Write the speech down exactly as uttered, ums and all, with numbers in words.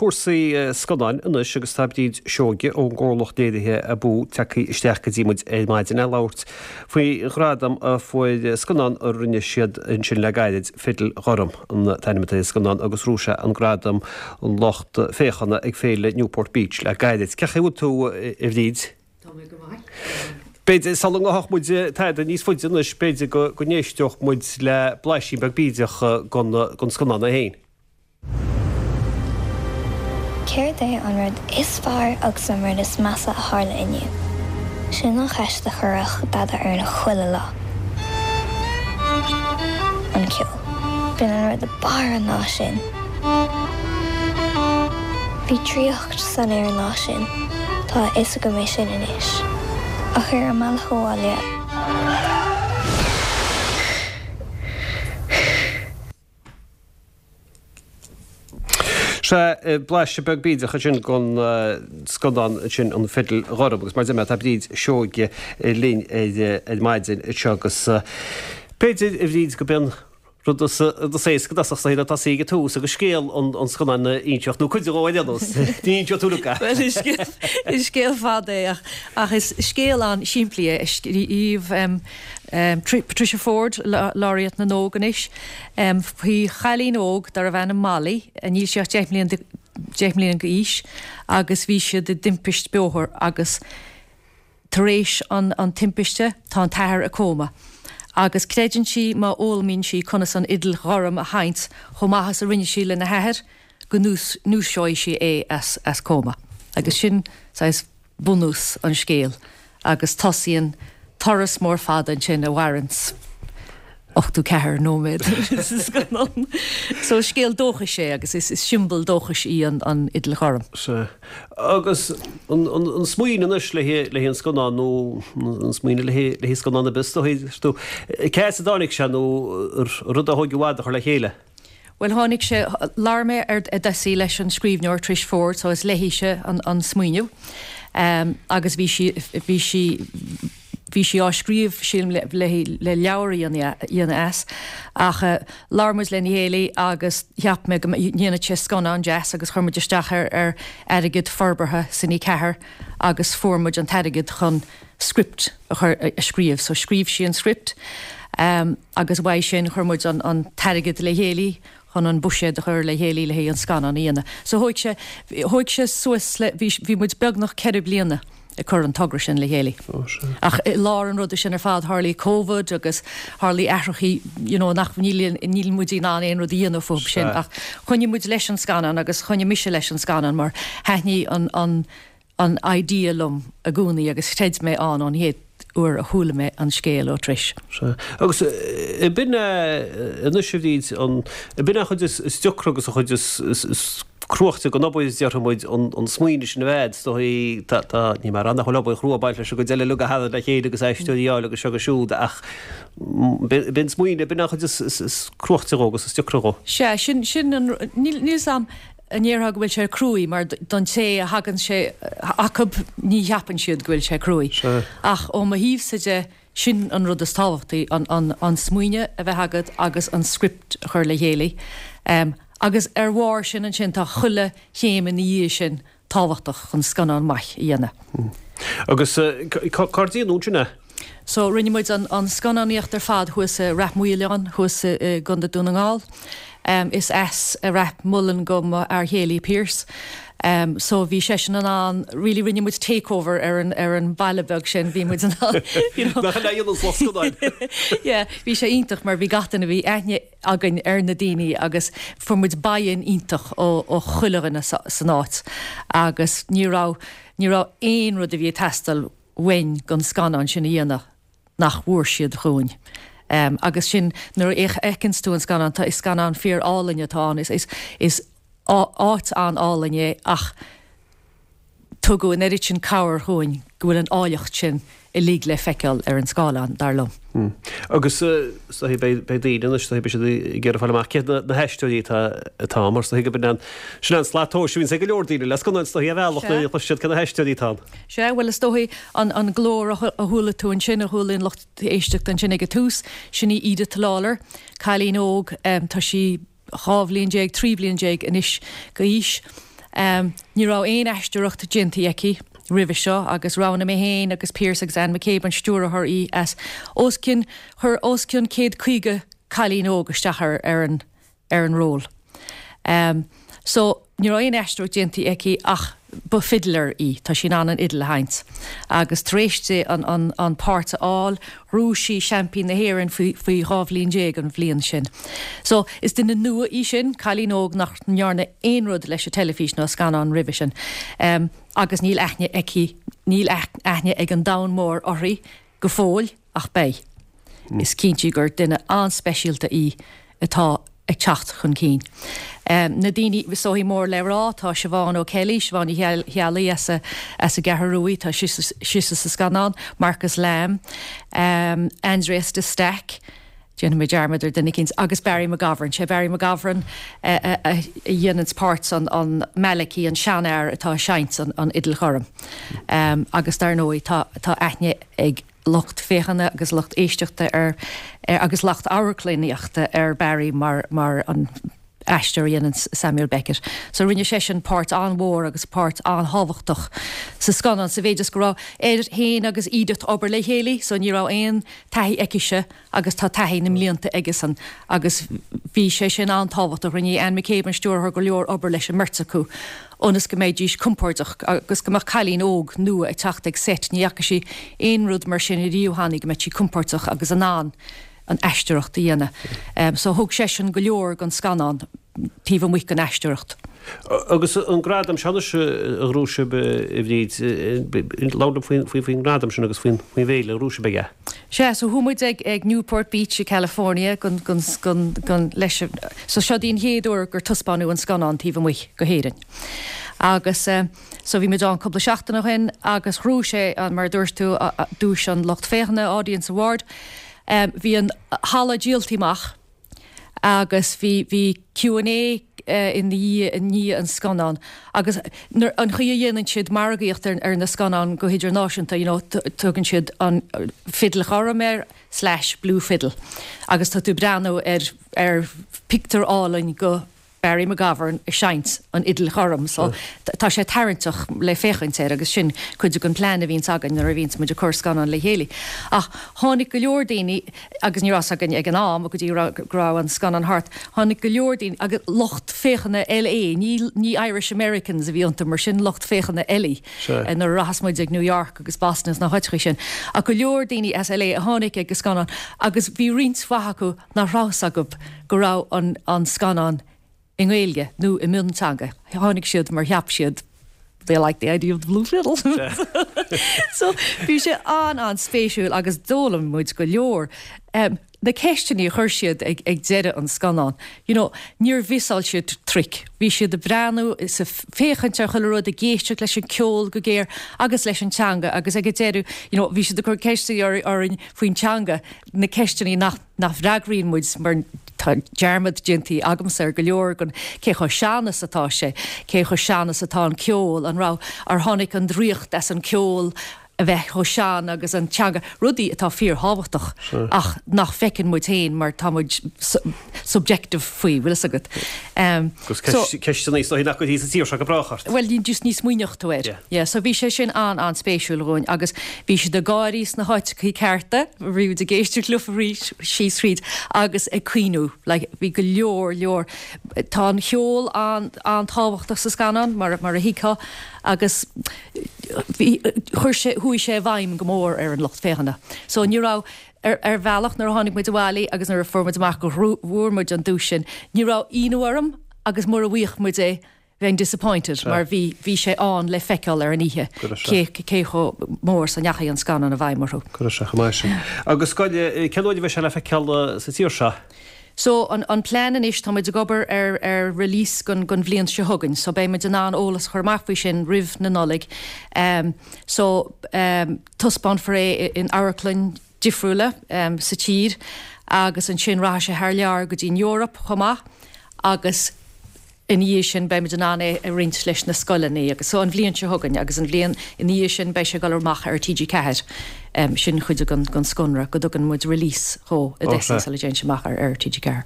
cúrsaí scannáin anois agus tá Bríd Seoige ón gcomhlacht léirithe Abú tagtha isteach go dtí muid ar maidin le labhairt faoi ghradam a fuair scannán a rinne siad ansin le gairid Fidil Ghorm an t-ainm atá ar an scannán agus ghnóthaigh sé an gradam an lucht féachana ag féile Newport Beach le gairid. Cén chaoi a bhfuil tú a Bhríd? Tá mé go maith. B'fhéidir sula ngabhfadh muid tada níos faide anois b'fhéidir go go n-éisteodh muid le blaisín beag bídeach den scannán é féin. Céard é an rud is fearr agus an rud is measa a tharla inniu? Sin an cheist a chuireadh Dada orainn chuile lá. An ceol. B'in an rud ab fhearr an lá sin. Bhí draíocht san aer an lá sin, Tá a fhios agam é sin anois. Ach ar an mbealach abhaile Sea, blaiseadh beag bídeach ansin den scannán sin An Fidil Ghorm agus mar a deir mé tá Bríd Seoige linn ar maidin anseo agus b'fhéidir a Bhríd go b'in rud is éasca dosach sa atá sí ag tús agus scéal an scannáin a inseacht nó cuid de ar aon nós. Ní inseoidh tú uilig é. Bhuel is is scéal fada é ach ach is scéal an-simplí é a scríobh Patricia Forde, Laureate na nÓg anois, faoi chailín óg darbh ainm Molly, níl sí ach deich mbliana deich mbliana d'aois agus bhí siad i dtimpist bóthair agus tar éis an an timpiste tá an t-athair i cóma agus creideann sí má fhoghlaimíonn sí conas an fhidil ghorm a sheinnt chomh maith is a rinne sí lena hathair go ndúiseoidh sí é as as cóma agus sin saghas bunús an scéil agus tosaíonn turas mór fada ansin a mhaireanns ochtó ceathair nóiméad sa scannán. So is scéal dóchais é agus is siombail dóchais í an an fhidil ghorm. Sea. Agus an an smaoineamh anois le haghaidh an scannán nó an smaoineamh le haghaidh scannán ar bith is dóigh, cá as a dtáinig sé nó rud a thóg i bhfad a chur le chéile? Bhuel, tháinig sé, labhair mé ar dtús leis an scríbhneoir Trish Forde, so is léithise an an smaoineamh agus bhí sí, bhí sí, bhí sí á scríobh sílim le le le leabhar a dhéanamh as ach labhair muid lena chéile agus cheap mé go ndéanfadh sé scannán deas agus chuir muid isteach ar ar airgead forbartha Cine ceathair agus fuair muid an t-airgead chun script a chur a scríobh so scríobh sí an script agus uaidh sin chuir muid an an t-airgead le chéile chun an buiséad a chur le chéile le haghaidh an scannán a dhéanamh. So thóig sé thóig sé suas le bhí bhí muid beagnach ceithre bliana ag cur an togra sin le chéile. Ach i lár an ruda sin ar fad tharlaigh Covid agus tharlaigh athrachaí you know nach níl níl muid in ann aon rud a dhéanamh fúthu sin ach choinnigh muid leis an scannán agus choinnigh mise leis an scannán mar thaitnigh an an an idea liom i gcónaí agus chreid mé ann ón chéad uair a chuala mé an scéal ó Trish. Sea. Agus b'in é anois a Bhríd, an, b'in é an chuid is deacra agus an chuid is cruaichte den obair, déarfaidh muid, an smaoineamh sin a bheith, is dóigh, tá, tá, níl mé ag rá nach bhfuil obair chrua ag baint leis an gcuid eile uilig a tharraingt le chéile agus aisteoirí a fháil agus seo agus siúd ach b'in smaoineamh, b'in an chuid is cruaichte dhó agus is deacra dhó. Sea, sin, sin an, níl, níl 's a'm an ndéarfá go bhfuil sé cruaidh mar don té a thagann sé acub ní cheapann siad go bhfuil sé cruaidh. Ach ó mo thaobhsa de sin an rud is tábhachtaí, an, an, an smaoineamh a bheith agat agus an script a chur le chéile. Agus ar bharr sin ansin tá chuile chéim ina dhiaidh sin tábhachtach chun scannán maith a dhéanamh. Agus cár déanadh ansin é? So rinne muid an an scannánaíocht ar fad thuas i Rath Maoileoin thuas i gContae Dún na nGall. Is as Rathmullan do mo fhear chéile Pearse. So bhí seisean in ann, really rinne muid takeover ar an ar an bhaile beag sin, bhí muid in ann you know. Nach ea an lucht scannáin. Yeah, bhí sé iontach mar bhí gach duine, bhí aithne againn ar na daoine agus fuair muid buy-in iontach ó ó chuile dhuine san áit agus ní raibh ní raibh aon rud a bhí ag teastáil uainn don scannán sin a dhéanamh nach bhfuair siad dhúinn. Agus sin nuair a fheiceanns tú an scannán, tá, is scannán fíor álainn atá ann, is, is, is áit an-álainn é ach tugadh an oiread sin cabhair dhúinn go bhfuil an áilleacht sin uilig le feiceáil ar an scáileán, dar liom. Agus is dóigh beidh daoine anois, is dóigh beidh siad ag iarraidh fáil amach cé na haisteoirí atá atá ann, mar is dóigh go b'in an, sin an slat tomhais a bhíonns ag go leor daoine le scannáin, is dóigh ar bhealach nuair a chloiseann siad cé na haisteoirí atá ann. Sea, bhuel is dóigh an an glór a chuala tú ansin, a chuala an lucht éisteachta ansin ag an tús, sin í Edith Lawlor, cailín óg, tá sí dhá bhliain déag, trí bliana déag anois d'aois. Um, ní raibh aon aisteoireacht déanta aici roimhe seo agus roghnaigh mé féin agus Pearse agus Anne McCabe an stiúrthóir í as os cionn chuir os cionn céad caoga cailín óg isteach ar ar an ar an ról. Um, so ní raibh aon aisteoireacht déanta aici ach ba fiddler í tá sí in ann an fhidil a sheinnt. Agus tar éis di an, an, an páirt a fháil, ghnóthaigh sí seaimpín na hÉireann faoi faoi dhá bhliain déag an bhliain sin. So is duine nua í sin cailín óg nach ndearna aon rud leis an teilifís nó scannán roimhe sin. Um, agus níl aithne aici níl aithne ag an domhan mór uirthi go fóill ach beidh. Mm. Is cinnte gur duine an-speisialta í atá ag teacht chun cinn. Um, na daoine sóí mór le rá tá Siobhán O'Kelly, Siobhán Healaí as a, as an gCeathrú Rua tá sise sa scannán, Marcus Lamb, um, Andreas de Staic, Déanfaidh mé dearmad ar duine éicint agus Barry McGovern sé Barry McGovern a dhéanann páirt an, an Malachy an seanfhear atá ag seinnt an, an fhidil ghorm. Um, agus dar ndóigh tá, tá aithne ag lucht féachana agus lucht éisteachta ar, ar agus lucht amharclannaíochta ar Barry mar, mar an aisteoir a dhéanann Samuel Beckett. So rinne sé sin páirt an-mhór agus páirt an-thábhachtach sa scannán sa mhéid is go raibh air féin agus Edith obair le chéile, so ní raibh aon taithí aicise agus tá taithí na mblianta aigesan agus bhí sé sin an-tábhachtach rinne Anne McCabe an stiúrthóir go leor obair leis an mbeirt acu. ionas go mbeidís compordach agus go mbeadh cailín óg nua ag teacht ag set ní fhaca sí aon rud mar sin riamh cheana go mbeadh sí compordach agus in ann an aisteoireacht a dhéanamh. Um, so thug sé sin go leor don scannán taobh amuigh den aisteoireacht. Agus an gradam seo a ghnóthaigh sibh a Bhríd labhair faoin faoin gradam sin agus faoin faoin bhféile a ghnóthaigh sibh aige. Sé so chuaigh muid ag ag Newport Beach i California gon, gon, gon, gon leis so seo í an chéad uair gur taispeánadh an scannán taobh amuigh go hÉirinn. Agus uh, so bhí muid ann cúpla seachtain ó shin agus ghnóthaigh sé an mar dúirt tú duais an lucht féachana Audience Award. Um, bhí an halla díolta amach agus bhí bhí Q and A uh, in i ndiaidh an scannán agus an chaoi a dhéanann siad margaíocht ar, ar na scannáin go hidirnáisiúnta you know, tugann siad an fidil ghorm air slash blue fiddle agus tá tú breathnú ar ar pictiúr álainn go Barry McGovern ag seinnt an fhidil ghorm so tá sé tarraingteach le féachaint air agus sin cuid den plean a bhíonn againn nuair a bhíonn muid ag cur scannán le chéile. Ach tháinig go leor daoine agus ní raibh a fhios againn ag an am go dtí go raibh an scannán thart, tháinig go leor daoine agus lucht féachana LA, ní, ní Irish Americans a bhí iontu mar sin lucht féachana eile nuair a rachas muid ag New York agus Boston is na háiteacha sin. Ach go leor daoine as LA a tháinig ag an scannán agus bhí roinnt mhaith acu nach raibh a fhios acu go raibh an, an scannán i nGaeilge nó i mionteanga. Tháinig siad mar cheap siad they like the idea of the blue fiddle. so bhí sé an an-spéisiúil agus d'fhoghlaim muid go leor. Um, na ceisteanna a chuir siad ag, ag deireadh an scannán. You know, níor mhissáil siad trick. Bhí siad ag breathnú is ag féachaint ar chuile rud ag éisteacht leis an ceol go géar agus leis an teanga agus ag deireadh you know, bhí siad ag cur ceisteanna orainn faoin teanga na ceisteanna nach nach bhfreagraíonn muid mar tá dearmad déanta agamsa ar go leor gon cé chomh sean is atá sé, cé chomh sean is atá an ceol an raibh ar tháinig an draíocht as an ceol a bheith chomh sean agus an teanga rudaí atá fíorthábhachtach ach nach bhfeiceann muid féin mar tá muid subjective faoi bhfuil a fhios agat. Um, Ceisteanna so nach go sa tír go brách. Well just ní smaoineodh tú air. Yeah, so bhí sé sin an an-spéisiúil dhúinn agus bhí siad ag gáirí sna háiteacha cearta, bhí ag éisteacht leo arís síos fríd agus ag caoineadh, like, bhí go leor leor tá an ceol an an-tábhachtach sa scannán mar mar a thuigfeá agus bhí chuir sé chuaigh sé i bhfeidhm go mór ar an lucht féachana. So ní raibh ar, ar bhealach nuair a tháinig muid abhaile agus nuair a fuair muid amach go bhfuair muid an duais sin, ní raibh ionadh orm agus mura bhfaigheadh muid é bheinn disappointed mar bhí bhí sé an le feiceáil ar an oíche cé cé chomh mór is a ndeachaigh an scannán i bhfeidhm orthu. Go raibh sé chomh maith sin. Agus scoile cén uair a bheidh sé le feiceáil sa tír seo? So an, an plean anois tá muid ag obair ar, ar release gon, gon bhliain seo chugainn, so beidh muid in ann eolas a chur amach faoi sin roimh na Nollag. Um, so um, taispeánfar é in amharclann difriúla um, sa tír agus ansin rachaidh sé thar lear go dtí an Eoraip chomh maith agus ina dhiaidh sin beimid in ann é a roinnt leis na scoileanna agus so an bhliain seo chugainn agus an bhliain ina dhiaidh sin beidh sé ag dul amach ar TG Ceathair. Um, sin chuid gon gon sconradh go dtugann muid release dhó i dtosach sula dtéann sé amach ar ar TG Ceathair.